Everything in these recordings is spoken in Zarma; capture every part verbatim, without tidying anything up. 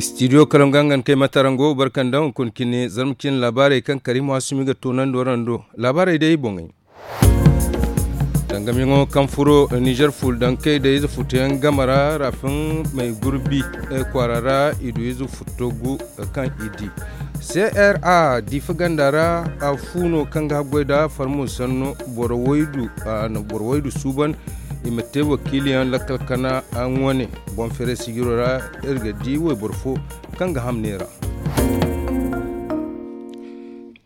Studio kalangu hangan kay matarango barkandaŋ hunkuna cine zarma cine laabaarey kaŋ kariima waasumi ga toonandi warando laabaarey day boŋey. Tangamiyaŋo kaŋ furo nizer fuldankey da ize futuyaŋ game ra rafin may gurbi kwaara ra i du ize futo gu kaŋ i di. Cra diifa ganda ra a fu no kaŋ ga haggoy da farmo sanno boro waydu suuban i ma te wakiiliyaŋ lakkal kana wane boŋ feeray sijiro ra. Iri ga di wayboro fo kaŋ ga ham neera.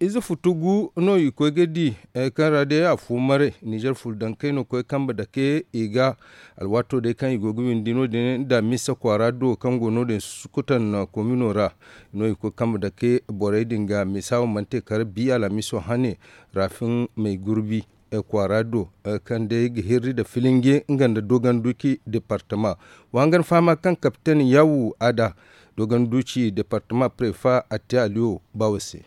Ize futu gu no i koy ga di kaŋ ra day a fu maray nizer fuldankey no koy kambe dake i ga alwaato day kaŋ i go ga windi no- din da misa kwaara do kaŋ go no- din sukutan komino ra. No i koy kambe dake borey din ga misa wo mana te kala bi alamiso hane rafin may gurbi kwaara do kaŋ day ga hirri nda filinge nga nda dogon duci departama. Wa hangan fahama kaŋ kapten yawu ada dogon duci departama prefa atte aliyo bawo se.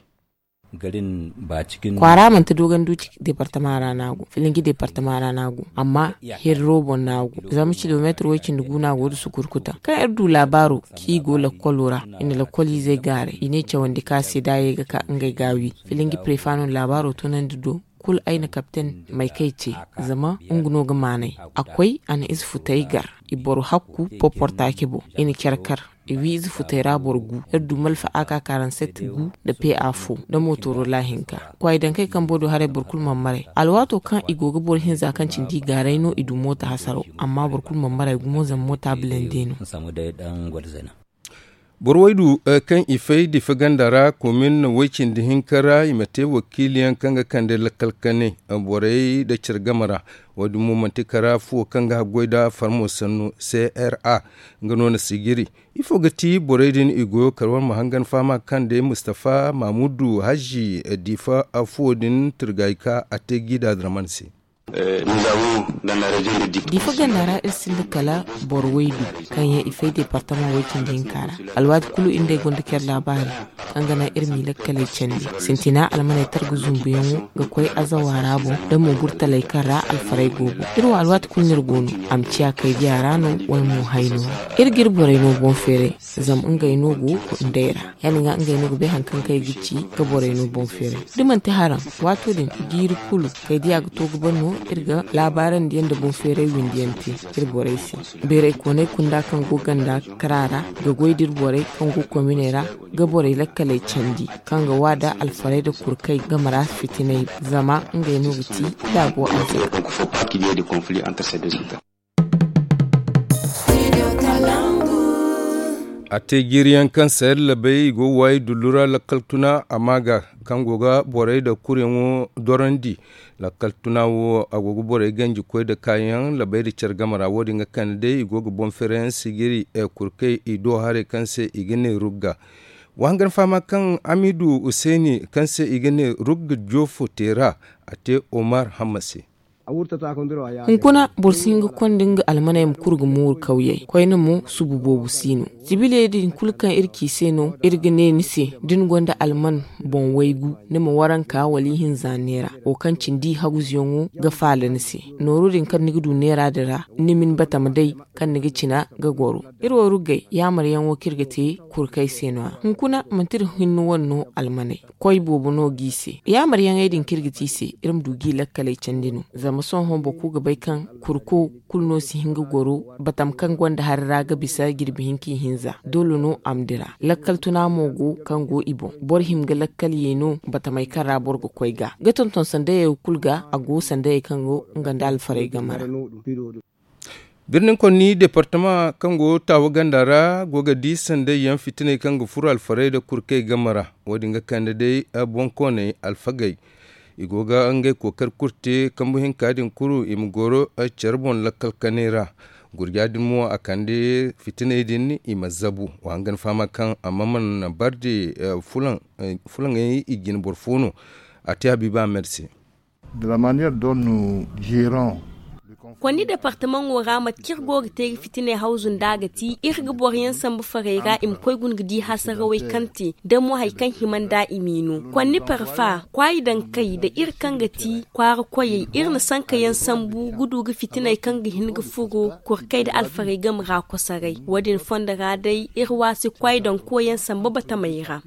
Kwaara manti dogon duci departama ra no a go filinge departama ra no a go amma hirro boŋ no a go zama kilomeetir way- cindi gu no a go nda sukurkuta kaŋ iri du laabaaro kaŋ i go lakkolo ra i na lakkoliizey gaaray i ne cawandi ka se da a ye ga ka ngey ga a wi. Filinge prefa no na laabaaro tunandi do kulu ay na kapten may kay te zama nga no ga maanay a koy a na ize futay gar i boro hakku poportaaci boŋ i na care kar i wi ize futay ra boro gu iri du malfa a ka karanset gu nda pe a fo nda mootoro laahinka. Kwaay dankey kambo do haray boro kulu mana maray alwaato kaŋ i go ga boro hinza kaŋ cindi i gaaray no i du moota hasaro amma boro kulu mana maray gumo zama moota bilande no. Boro waydu kaŋ i fay difa ganda ra komin way- cindi hinka ra i ma te wakiiliyaŋ kaŋ ga kande lakkal kanay borey nda care game ra. Wo- din mo manti kara fuwo kaŋ ga haggoy nda farmo sannu cra nga no na sijiri. Ifo ga ti borey din i goyo kar wane ma hangan fahama kaŋ day mustafa mamudu hazi difa fuwo din turgay ka a te gi da draman se. Difa ganda ra iri sinda kala boro waydu kaŋ yaŋ i fay departama way- cindi hinka ra. Alwaati kulu iri nd'ey gonda care laabaari kaŋ ga naŋ iri m'i lakkaley candi sintina almaney targa zumbuyaŋo ga koy azawa ra boŋ nda mo burtaley kaŋ ra alfarey go boŋ. Iri wo alwaati kulu no iri go no a ma ciya kay diya ra no wala mo hayno ra. Iri ga iri borey no boŋ feeray zama ngey no go nd'ey ra ya- din ga ngey no ga bay hari kaŋ kay ga ci ga borey no boŋ feeray. Da manti haraŋ waato din jiiri kulu kay diya ga to ga ban no iri ga laabaarandi yaŋ nda boŋ feeray windi yaŋ te iri borey se. Beeray koonay kunda kaŋ go ganda kara ra ga goy da iri borey kaŋ go kominey ra ga borey lakkaley candi kaŋ ga wa nda alfarey nda kurkay game ra fitinay zama ngey no ga ti laabo arzaka. A te jiiri yaŋ kaŋ sayar labay i go ga waayi dullu ra lakkal tuna a ma ga kaŋ go ga borey nda kuryaŋo dorandi. Lakkal tuna wo a go ga borey ganji koy nda kaayaŋ labay nda care game ra wo- din ga kande day i go ga boŋ feerayaŋ sijiri kurkay i do haray kaŋ se i ga ne rugga. Wa hangan fahama kaŋ amidu huseeni kaŋ se i ga ne rugga joofo teera a te omar hamma se. Hunkuna boro si hin ga konda nga almaney ma kuru ga mooru kawyey koyne mo subu boobo si no. Zibiley din kulu kaŋ iri ci se no iri ga ne ni se da ni gonda alman boŋ waygu ni ma waranka wala ihinza neera wo kaŋ cindi haguzuyaŋo ga faala ni se. Nooru din kaŋ ni ga du neera din ra ni ma ni batama day kaŋ ni ga cina ga goro. Iri wo ruggey yaamaryaŋo kaŋ iri ga te kurkey se no- ya hunkuna manti iri hinne wane no almaney. Koy boobo no g'i se yaamaryaŋey din kaŋ iri ga te i se iri ma du g'i lakkaley candi no. Zama sohõ boro kulu ga bay kaŋ kurko kulu no si hin ga goro batam kaŋ gonda hari ra ga bisa jirbi hinka ihinza doole no a ma dira. Lakkal tuna mo go kaŋ go i boŋ boro hima ga lakkal ye no batamey kaŋ ra boro ga koy ga ga tonton sandayey wo kulu ga a go sandayey kaŋ go nga nda alfarey game ra. Birnin konni departama kaŋ go taawa ganda ra go ga di sanday yaŋ fitiney kaŋ ga furo alfarey nda kurkey game ra. Wo- din ga kande day boŋkooney alfagey i go ga ngey kookari kulu te kambu hinka din kulu i ma goro care boŋ lakkal kanay ra. Gurja din mo a kande fitiney din i ma zabu wa hangan fahama kaŋ amma mana barde fulaŋey i jine boro fo no. A te habiiba amed se. Konni departamaŋo ra mate kaŋ iri go ga te ga fitiney hawzu nd'a ga ti iri ga boro yaŋ sambu farey ra i ma koy guna ga di hasarawey kaŋ te da mo hari kaŋ hima nd'a i m'i no. Konni parfa kwaayi dankey nda iri kaŋ ga ti kwaara koyey iri na sanka yaŋ sambu ga du ga fitiney kaŋ ga hin ga furo kurkey nda alfarey game ra kosoray. Wo- din fondo ra day iri waasi kwaayi danko yaŋ samba batamey ra.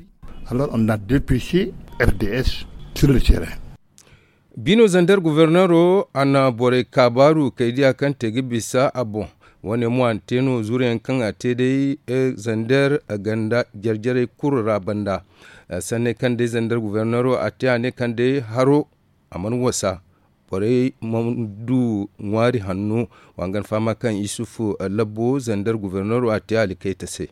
Alors on a dépêché r d s sur le terrain. Bino zander guverneero a na borey kaabaaru kaydiya kaŋ te ga bisa a boŋ. Wo- ne mo a na te no zuuruyaŋ kaŋ a te day zander ganda jarjarey kulu ra banda. Sanney kaŋ day zander guverneero a te a ne kaŋ day haro a mana wasa borey mana du ŋwaari hanno. Wa nga ni fahama kaŋ isufu labbo zander guverneero a te a likayta se.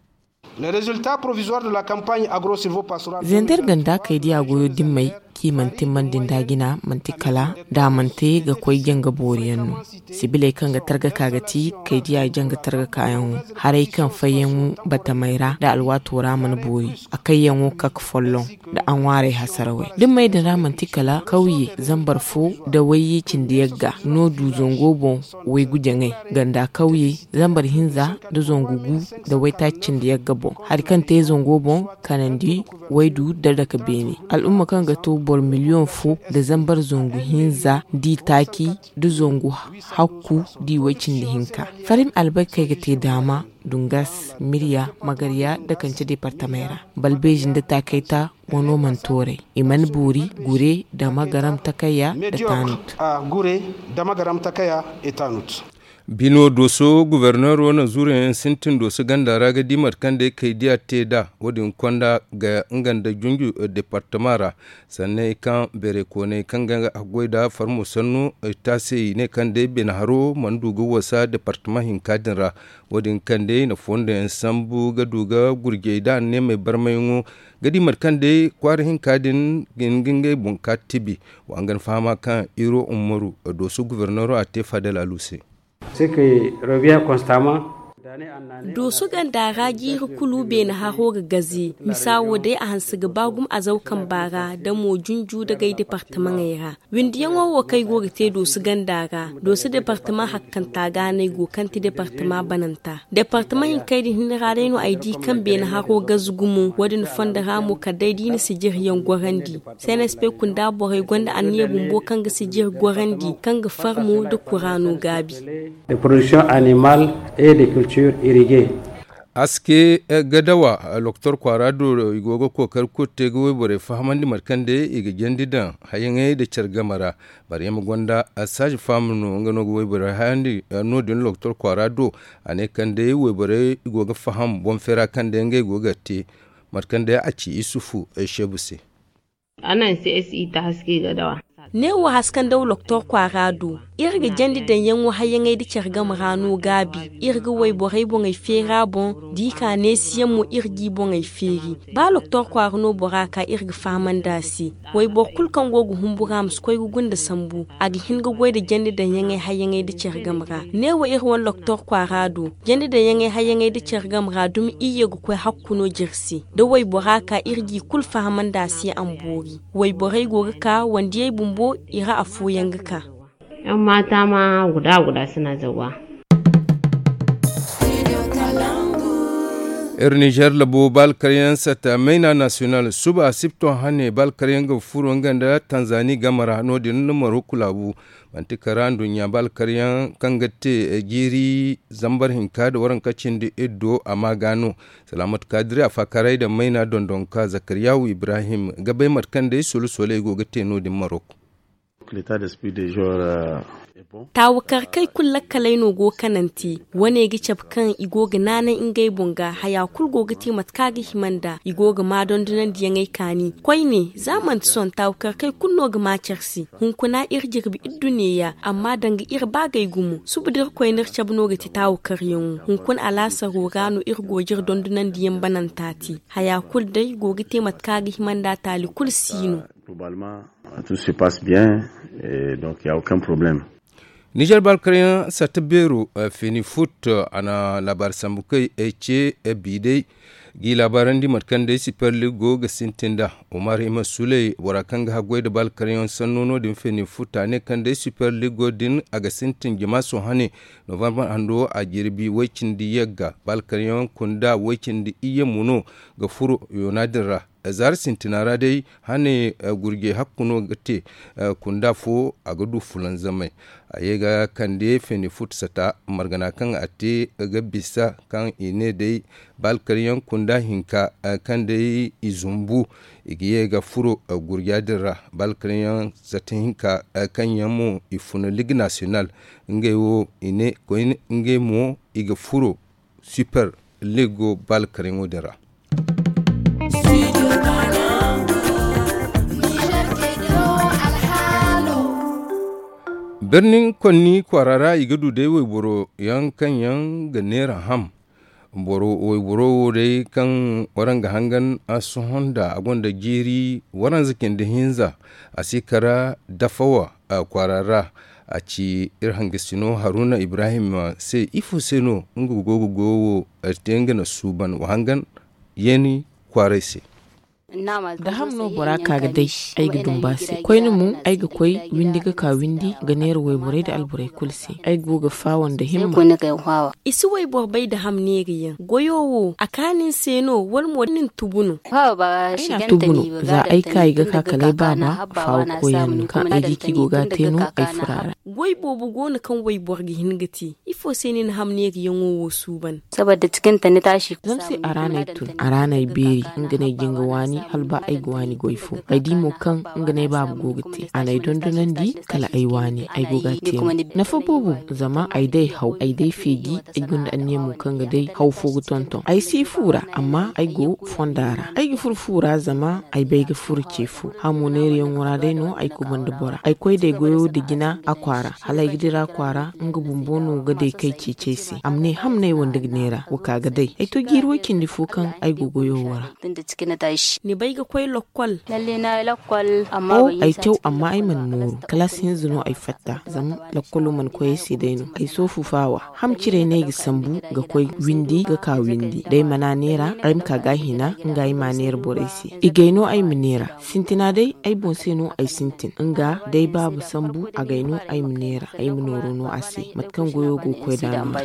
Zender ganda kay diya goyo dimmey kaŋ i mana timmandi nda jina manti kala da a mana te ga koy janga booriyaŋ no. Sibiley kaŋ ga targa ka ga ti kay diya janga targa kaayaŋo haray kaŋ fayyaŋo batamey ra da alwaato ra mana boori a kayyaŋo kak folloŋ da a ŋwaarey hasarawey. Dimmey din ra manti kala kawye zambar fo da wayye cindi yagga no du zango boŋ. Waygu jaŋay ganda kawye zambar hinza da zangu gu da waytaaci cindi yagga boŋ hari kaŋ te zango boŋ kanandi waydu da dake beene. Al'umma kaŋ ga to boro miliyoŋ fo da zambar zangu hinza da itaaci da zangu hakku da iway cindi hinka. Farim albarkey ga te daama dungas mirya magarya da kance departamey ra balbeeji nda taakayta wano mana tooray i mana boori gure dama garam takaya da tanut. Bino dooso guverneero na zuuruyaŋ sintin dooso ganda ra ga di mate kaŋ day kay diya te nd'a wo- din konda ga nga nda junju departama ra. Sanney kaŋ beeray kooney kaŋ ga haggoy nd'a farmo sanno taasey ne kaŋ day beene haro mana du ga wasa departama hinka din ra. Wo- din kaŋ day na fondo yaŋ sambu ga du ga gurjey nd'a neemey barmayaŋo ga di mate kaŋ day kwaara hinka din ga hin ga ngey boŋ ka tibi. Wa nga ni fahama kaŋ iro ummaru dooso guverneero a te fadel alu se. Dooso ganda ra jiiri kulu beene haro ga gaze misa wo day a hanse ga ba gumo azaw kamba ra da mo junju dagay departamaŋey ra. Windiyaŋo wo kaŋ ay go ga te dooso ganda ra dooso departama hakkanta ga no ay go kaŋ ti departama bananta. Departama hinkey din hinne ra day no ay di kaŋ beene haro gaze gumo wo- din fondo ra mo kala day da i na sijiriyaŋ gorandi. Cnsp kunda borey gonda anniya bumbo kaŋ ga sijiri gorandi kaŋ ga farmo nda kuraano gaabi. De production animal et de culture irriguée. Aske gadawa loktor kwaara do i go ga kookari kulu te ga wayborey fahamandi mate kaŋ day i ga jandi daŋ hayaŋey nda care game ra. Maryama gonda saaji faamu no nga no ga wayborey hayandi no- din loktor kwaara do. A ne kaŋ day wayborey i go ga faham boŋ feera kaŋ day ngey go ga te mate kaŋ day a ci isufu sheebu se. Neewo haska nda loktor kwaara do iri ga jandi daŋyaŋo hayaŋey nda care game ra no gaabi. Iri ga wayborey boŋey feera boŋ da i ka neesiyaŋ mo iri g'i boŋey feeri. Ba loktor kwaara no bora ka iri ga fahamandi a se. Wayboro kulu kaŋ go ga humburu a ma si koy ga gunda sambu a ga hin ga goy nda jandi daŋyaŋey hayaŋey nda care game ra. Neewo iri wane loktor kwaara do jandi daŋyaŋey hayaŋey nda care game ra dumi iyye ga koy hakku no jiri se. Da waybora ka iri g'i kulu fahamandi a se a ma boori. Wayborey go ga ka wandiyey bumbo i ra afooyaŋ ga ka. Yan maata ma guda guda sina zawa. Iri nizer labo ba alkaryaŋ satta mayna nasiyonal suba sipton hane ba alkaryaŋ ga furo nga nda tanzani game ra no- din marok laabu. Manti kara nduɲɲa ba alkaryaŋ kaŋ ga te jiiri zambar hinka nda waranka cindi iddo a ma ga no. Salaamatu kaadiri a faakaray nda mayna dondonka zakariyahu ibrahim ga bay mate kaŋ day solu sooley go ga te no- din marok. Taawakarkey kulu lakkaley no go kanante. Wane ga cabe kaŋ i go ga naanay ngey boŋ ga haya kulu go ga te mate kaŋ a ga hima nd'a i go ga ma dondonandiyaŋey kaani koyne za manti sohõ taawakarkey kulu no ga ma care se. Hunkuna iri jirbi iri du neeya amma danga iri baagay gumo suba da iri koyne iri cabe no ga te taawakaryaŋo. Hunkuna alaasaro ra no iri go ga iri dondonandiyaŋ bananta te. Haya kulu day go ga te mate kaŋ a ga hima nd'a taali kulu si no. Tout se passe bien. Donc ya aucun problème. Nizer balkaryaŋ satta beero feni fut a na laabaari sambu kay ce bi day. G'i laabaarandi mate kaŋ day super ligo ga sintin nd'a. Umar hima suley bora kaŋ ga haggoy nda baalkaryaŋ sanno no- din feeni futa ne kaŋ day super ligo din a ga sintin jama sohã ne. Novambar hando a jirbi way- cindi yagga baalkaryaŋ kunda way- cindi iyye mo no ga furo yoona din ra. Zaara sintina ra day hane gurjey hakku no ga te. Kunda fo a ga du fulanzamay a ye ga kande feeni futu sata margana kaŋ a te ga bisa kaŋ i ne day baalkaryaŋ kunda hinka kaŋ day i zumbu i ga ye ga furo gurja din ra. Baalkaryaŋ sata hinka kaŋ yaŋ mo i funa ligue national ngey wo i ne koyne ngey mo i ga furo super ligo baalkaryaŋo din ra. Birnin konni kwaara ra i ga du day wayboro yaŋ kaŋ yaŋ ga neera ham. Wayboro wo day kaŋ waraŋ ga hangan a sohõ nda a gonda jiiri waranza cindi hinza a si kara dafawa kwaara ra. A ci iri hangasino haruna ibrahim se ifo se no nga go ga goyo wo te nga na suuban wa hangan yeeni kwaaray se. Da ham no bora ka ga day ay ga dumba se koyne mo ay ga koy windi ga ka windi ga neera wayborey nda alborey kulu se ay go ga faawa nda himma. I si wayboro bay nda ham neera yaŋ goyo wo a kaani ni se no wala mo da ni na tubu no? Ay na tubu no. Za ay ka i ga ka kala ay baaba faawa koyyaŋ no kaŋ ay di kaŋ i go ga a te no ay furo a ra. Goy boobo go no kaŋ wayboro ga hin ga te. Ifo se ni na ham neera yaŋo wo suuban? Zama se a ra no ay tun a ra no ay beeri nga no ay jin ga waani hala ba ay ga waani goy fo ay di mo kaŋ nga no ay baaba go ga te a n'ay dondonandi kala ay waani ay go ga a te mo. Nafa boobo zama ay day haw ay day feeji ay gonda anniya mo kaŋ ga day haw fo ga tonton ay si fu ra amma ay go fonda ra ay ga furo fu ra zama ay bay ga furo ce fo hamo neerayaŋo ra day no ay kubanda bora ay koy day goyo nda jina a kwaara hala ay ga dira a kwaara nga bumbo no ga day kay ceeci ay se a ma ne ham no ay wande ga neera wa ka ga day ay to jiiri way cindi fo kaŋ ay go goyo wo ra. Ni bay ga koy lakkol? Ay caw amma ay mana mooru kalaasi hinza no ay fatta zama lakkolo mana koy ay se day no ay soofu faawa. Ham ciray no ay ga sambu ga koy windi ga ka windi da ay mana neera ay ma ka ga a hina nga ay ma a neera borey se i gay no ay ma neera sintina day ay boŋ se no ay sintin nga da ay baaba sambu a gay no ay ma neera ay ma nooro no a se mate kaŋ goyo go ga koy nd'a no.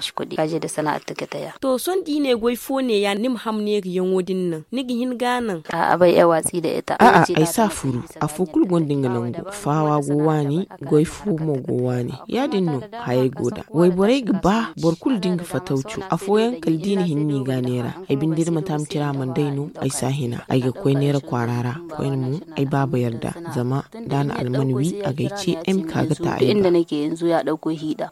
To sohõ da i ne goy fo neeya ni ma ham neerayaŋo din naŋ ni ga hin ga a naŋ? A'a ay si a furu afo kulu gonda nga nangu faawa go waani goy fo mo go waani ya- din no hayey go nd'a wayborey ga ba boro kulu da nga fatawco afooyaŋ kala da i na hin no i ga a neera ay binde da manti a ma cira a mana day no ay si a hina ay ga koy neera kwaara ra koyne mo ay baaba yarda zama da a na alman wi a ga ay ce ay ma ka ga ta ay ga.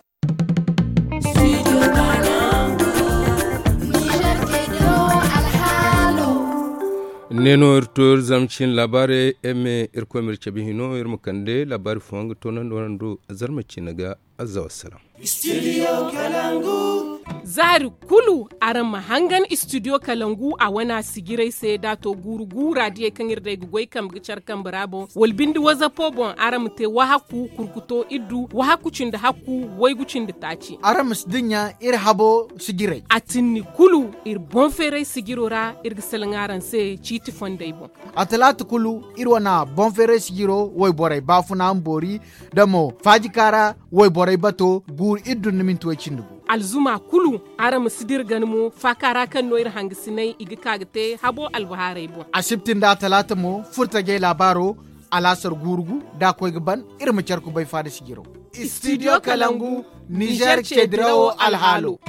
Ne no iri to iri zama cin laabaarey eme irkoy ma iri cabe hino iri ma kande laabaari fooyaŋ ga toonandi waraŋ do. Zarma ciine ga azza wassalam. Zaari kulu araŋ ma hangan studio kalangu a wane a sijirey se da a to guuru guura diyey kaŋ iri day ga goy kambe ga care kambe ra boŋ wala binde wazapo boŋ araŋ ma te wahakku kurkuto iddu wahakku cindi hakku waygu cindi taaci. Araŋ ma si dinya iri habo sijirey. A tinni kulu iri boŋ feeray sijiro ra iri ga salaŋ araŋ se ciiti fondey boŋ. A talaata kulu iri wane boŋ feeray sijiro wayborey baafuna ma boori da mo faajika ra wayborey bato guuru iddu nda minti way cindi gu. Alzuma kulu araŋ ma si dira gana mo faaka ra kaŋ no iri hangasinay i ga ka ga te habo albahaarey boŋ. Asibti nda talaata mo furtajey laabaaro alaasar guuru gu da a koy ga ban iri ma care kubay faada sijiro. Studio kalangu nizer ce dirawo alhaalo.